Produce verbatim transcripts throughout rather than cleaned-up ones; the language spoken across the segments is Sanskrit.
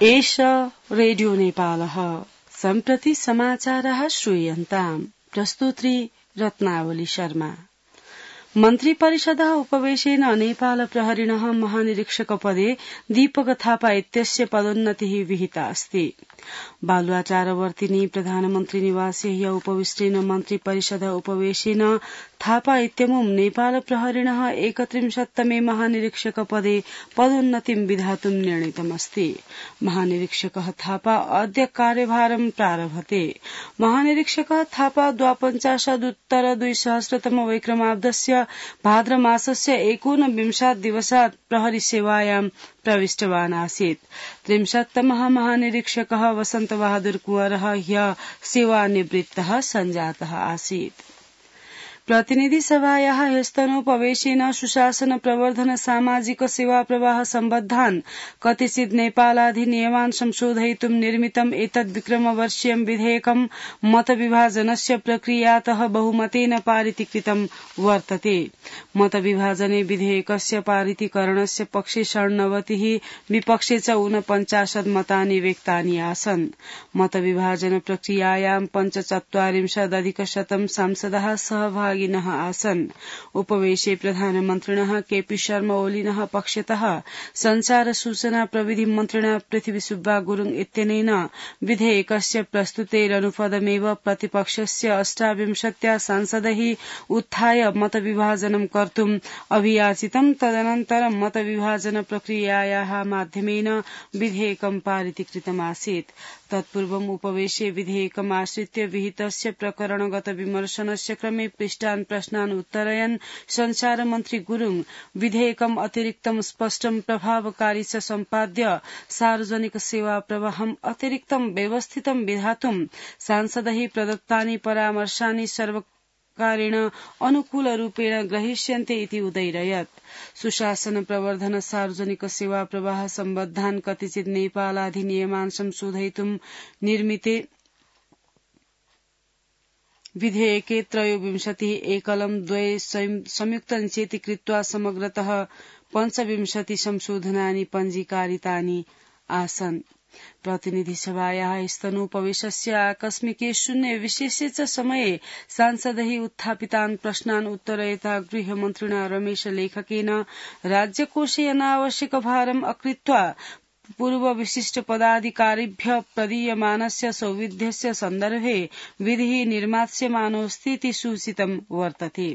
एष रेडियो नेपालः सम्प्रति समाचारः श्रूयन्ताम् प्रस्तुत्री रत्नावली शर्मा। मन्त्री परिषदः उपवेशेन नेपाल प्रहरिणः महानिरीक्षकपदे दीपक थापा इत्यस्य पदोन्नतिः विहिता अस्ति। बालुवाचारवर्तिनी प्रधानमन्त्री निवासे ह्य उपविष्टेन मन्त्री परिषद उपवेशेन थापा इत्यमुं नेपाल प्रहरिणः एकत्रिंशत्तमे महानिरीक्षकपदे पदोन्नतिं विधातुं निर्णीतमस्ति। महानिरीक्षकः थापा अद्य कार्यभारं प्रारभते। महानिरीक्षकः थापा द्वापञ्चाशदुत्तर द्विसहस्रतम वैक्रमाब्दस्य भाद्र मासस्य एकोनविंशात् दिवसात् प्रहरी सेवायां प्रविष्टवान् आसीत्। त्रिंशत्तमः महानिरीक्षकः वसन्तबहादुर कुंवरः ह्य सेवानिवृत्तः सञ्जातः आसीत्। प्रतिनिधि सभायाः ह्यस्तनोपवेशेन सुशासन प्रवर्धन सामाजिक सेवा प्रवाह सम्बद्धान् कतिचित् नेपालाधिनियमान् संशोधयितुं निर्मितम् एतद् विक्रमवर्षीयं विधेयकं मतविभाजनस्य प्रक्रियातः बहुमतेन पारितीकृतं वर्तते। मतविभाजने विधेयकस्य पारितीकरणस्य पक्षे षण्णवतिः विपक्षे च ऊनपञ्चाशत् मतानि व्यक्तानि आसन्। मतविभाजन प्रक्रियायां पञ्चचत्वारिंशदधिकशतं सांसदाः सहभागिनः आसन्। उपवेशे प्रधानमन्त्रिणः केपी शर्मा ओलीनः पक्षतः संचार सूचना प्रविधि मन्त्रिणा पृथ्वी सुब्बा गुरुङ इत्यनेन विधेयकस्य प्रस्तुतेरनुपदमेव प्रतिपक्षस्य अष्टाविंशत्या सांसदैः उत्थाय मतविभाजनं कर्तुम् अभियाचितं। तदनन्तरं मतविभाजन प्रक्रियायाः माध्यमेन विधेयकं पारितीकृतमासीत्। तत्पूर्वम् उपवेशे विधेयकमाश्रित्य विहितस्य प्रकरणगत विमर्शनस्य क्रमे पृष्टान् प्रश्नान् उत्तरयन् संचार मन्त्री गुरुङ विधेयकम् अतिरिक्तं स्पष्टं प्रभावकारी च सम्पाद्य सार्वजनिक सेवा प्रवाहम् अतिरिक्तं व्यवस्थितं विधातुं सांसदैः प्रदत्तानि परामर्शानि सर्वकारेण अनुकूलरूपेण ग्रहीष्यन्ते इति उदैरयत्। सुशासन प्रवर्धन सार्वजनिक सेवा प्रवाह सम्बद्धान् कतिचित् नेपालाधिनियमान् संशोधयितुं निर्मिते विधेयके त्रयोविंशतिः एकलं द्वे संयुक्तञ्चेति कृत्वा समग्रतः पञ्चविंशति संशोधनानि पञ्जीकारितानि आसन्। प्रतिनिधि सभायाः स्तनोपवेशस्य आकस्मिके शून्य विशेषे च समये सांसदैः उत्थापितान् प्रश्नान् उत्तरयिता गृहमन्त्रिणा रमेश लेखकेन राज्यकोषे अनावश्यक भारम् अकृत्वा पूर्व विशिष्ट पदाधिकारिभ्य प्रदीयमानस्य सौविध्यस्य सन्दर्भे विधिः निर्मास्यमानोऽस्तीति सूचितं वर्तते।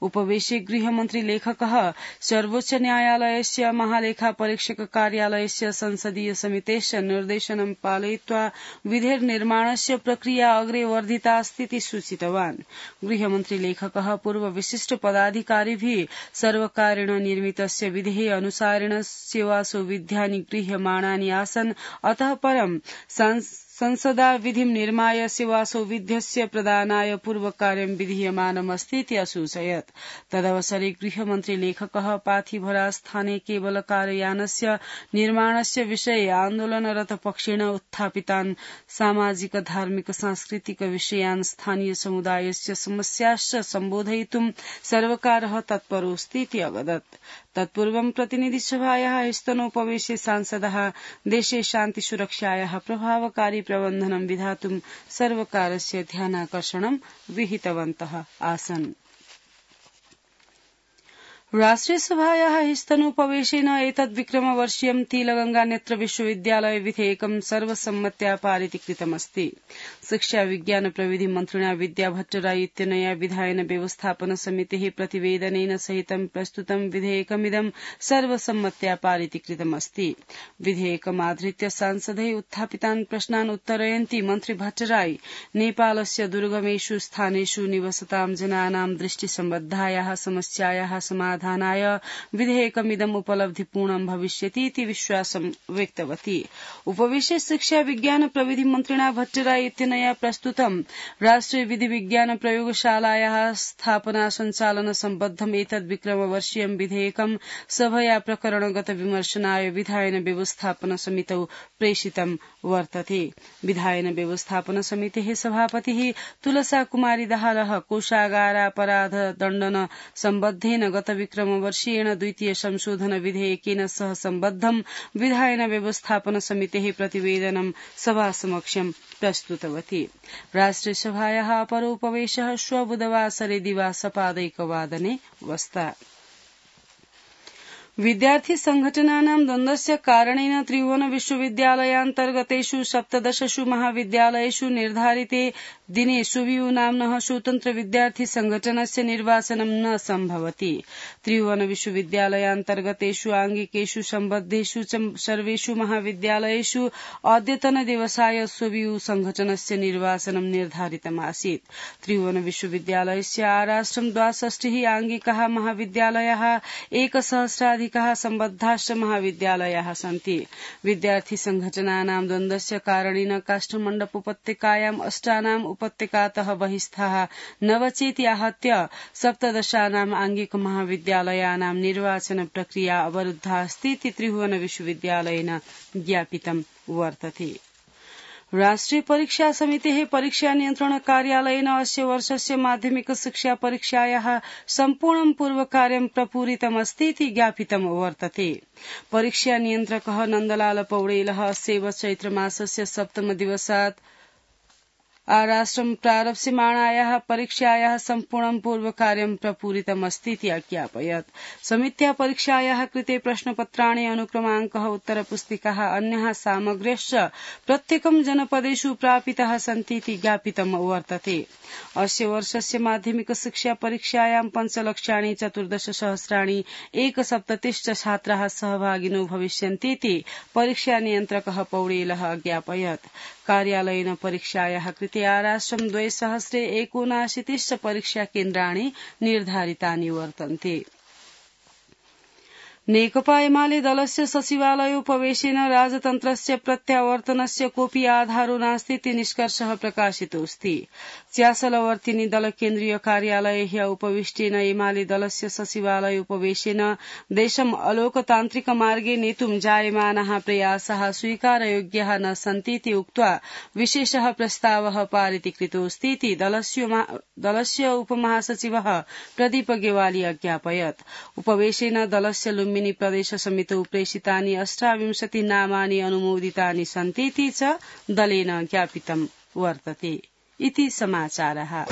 उपवेशे गृहमन्त्री लेखकः सर्वोच्च न्यायालयस्य महालेखा परीक्षक कार्यालयस्य संसदीय समितेश्च निर्देशनं पालयित्वा विधेर्निर्माणस्य प्रक्रिया अग्रे वर्धितास्तीति सूचितवान्। गृहमन्त्री लेखकः पूर्व विशिष्ट पदाधिकारिभिः सर्वकारेण निर्मितस्य विधेः अनुसारेण सेवा सौविध्यानि गृह्यमाणानि आसन्। अतः परं संसदा विधिं निर्माय सेवा सौविध्यस्य प्रदानाय पूर्वकार्यं विधीयमानमस्तीति असूचयत्। तदवसरे गृहमन्त्री लेखकः पाथिभरास्थाने केबलकारयानस्य निर्माणस्य विषये आन्दोलनरत पक्षेण उत्थापितान् सामाजिक धार्मिक सांस्कृतिक विषयान् स्थानीय समुदायस्य समस्याश्च सम्बोधयितुं सर्वकारः तत्परोऽस्तीति अवदत्। तत्पूर्वं प्रतिनिधिसभायाः स्तनोपवेशे सांसदः देशे शान्ति सुरक्षायाः प्रभावकारी प्रबन्धनं विधातुं सर्वकारस्य ध्यानाकर्षणं विहितवन्तः आसन्। राष्ट्रियसभायाः स्तनोपवेशेन एतद् विक्रमवर्षीयं तिलगंगा नेत्र विश्वविद्यालय विधेयकं सर्वसम्मत्या पारितीकृतमस्ति। शिक्षा विज्ञान प्रविधि मन्त्रिणा विद्या भट्टराई इत्यनया विधायन व्यवस्थापन समितेः प्रतिवेदनेन सहितं प्रस्तुतं विधेयकमिदं सर्वसम्मत्या पारितीकृतमस्ति। विधेयकमाधृत्य सांसदैः उत्थापितान् प्रश्नान् उत्तरयन्ती मन्त्री भट्टराई नेपालस्य दुर्गमेषु स्थानेषु निवसतां जनानां दृष्टिसम्बद्धायाः समस्यायाः समाधानाय विधेयकमिदम् उपलब्धिपूर्णं भविष्यति इति विश्वासं व्यक्तवती। उपवेशे शिक्षा विज्ञान प्रविधि मन्त्रिणा भट्टराई इत्यनया प्रस्तुतं राष्ट्रिय विधि विज्ञान प्रयोगशालायाः स्थापना सञ्चालन सम्बद्धम् एतद् विक्रमवर्षीयं विधेयकं सभया प्रकरणगत विमर्शनाय विधायन व्यवस्थापन समितौ प्रेषितं वर्तते। विधायन व्यवस्थापन समितेः सभापतिः तुलसा कुमारी दाहालः कोषागारापराध दण्डन सम्बद्धेन गत विक्रमवर्षीयेण द्वितीय संशोधन विधेयकेन सह सम्बद्धं विधायन व्यवस्थापन समितेः प्रतिवेदनं सभासमक्षं प्रस्तुतवती। राष्ट्रियसभायाः अपरोपवेशः श्व बुधवासरे दिवासपादैकवादने वस्ता। विद्यार्थी संघटनानां द्वन्द्वस्य कारणेन त्रिभुवन विश्वविद्यालयान्तर्गतेषु सप्तदशसु महाविद्यालयेषु निर्धारिते दिने सुवियु नाम्नः स्वतन्त्र विद्यार्थी संघटनस्य निर्वाचनं न सम्भवति। त्रिभुवन विश्वविद्यालयान्तर्गतेषु आंगिकेषु सम्बद्धेषु च सर्वेषु महाविद्यालयेषु अद्यतन दिवसाय सुवियु संघटनस्य निर्वाचनं निर्धारितमासीत्। त्रिभुवन विश्वविद्यालयस्य आराष्ट्रं द्वाषष्टिः आंगिकाः महाविद्यालयाः एकसहस्राधिकाः सम्बद्धाश्च महाविद्यालयाः सन्ति। विद्यार्थी संघटनानां द्वन्द्वस्य कारणेन काष्ठमण्डप उपत्यकायाम् अष्टानाम् उपत्यकातः बहिस्थाः नवचेति आहत्य सप्तदशानाम् आंगिक महाविद्यालयानां निर्वाचन प्रक्रिया अवरुद्धा अस्ति इति त्रिभुवन विश्वविद्यालयेन ज्ञापितं वर्तते। राष्ट्रिय परीक्षा समितेः परीक्षा नियन्त्रण कार्यालयेन अस्य वर्षस्य माध्यमिक शिक्षा परीक्षायाः सम्पूर्णं पूर्वकार्यं प्रपूरितमस्ति इति ज्ञापितं वर्तते। परीक्षा नियन्त्रकः नन्दलाल पौडेलः अस्य चैत्रमासस्य सप्तमदिवसात् आराष्ट्रं प्रारप्स्यमाणायाः परीक्षायाः सम्पूर्णं पूर्वकार्यं प्रपूरितमस्ति इति अज्ञापयत्। समित्या परीक्षायाः कृते प्रश्नपत्राणि अनुक्रमाङ्कः उत्तरपुस्तिकाः अन्याः सामग्र्यश्च प्रत्येकं जनपदेषु प्रापिताः सन्ति इति ज्ञापितं वर्तते। अस्य वर्षस्य माध्यमिक शिक्षा परीक्षायां पञ्चलक्षाणि चतुर्दशसहस्राणि एकसप्ततिश्च छात्राः सहभागिनो भविष्यन्ति इति परीक्षा नियन्त्रकः पौडेलः अज्ञापयत्। कार्यालयेन परीक्षायाः कृते आराष्ट्रं द्विसहस्रे एकोनाशीतिश्च परीक्षा केन्द्राणि निर्धारितानि वर्तन्ते। नेकपा एमाले दलस्य सचिवालयोपवेशेन राजतन्त्रस्य प्रत्यावर्तनस्य कोऽपि आधारो नास्ति इति निष्कर्षः प्रकाशितोऽस्ति। च्यासलवर्तिनी दल केन्द्रीय कार्यालये ह्य उपविष्टेन एमाले दलस्य सचिवालयोपवेशेन देशम् अलोकतान्त्रिक मार्गे नेतुं जायमानाः प्रयासाः स्वीकारयोग्याः न सन्ति इति उक्त्वा विशेषः प्रस्तावः पारितीकृतोऽस्ति इति दलस्य उपमहासचिवः प्रदीप गेवाली अज्ञापयत्। उपवेशेन दलस्य लुम्बिनी प्रदेश समितौ प्रेषितानि अष्टाविंशति नामानि अनुमोदितानि सन्ति इति च दलेन ज्ञापितं वर्तते। इति समाचारः।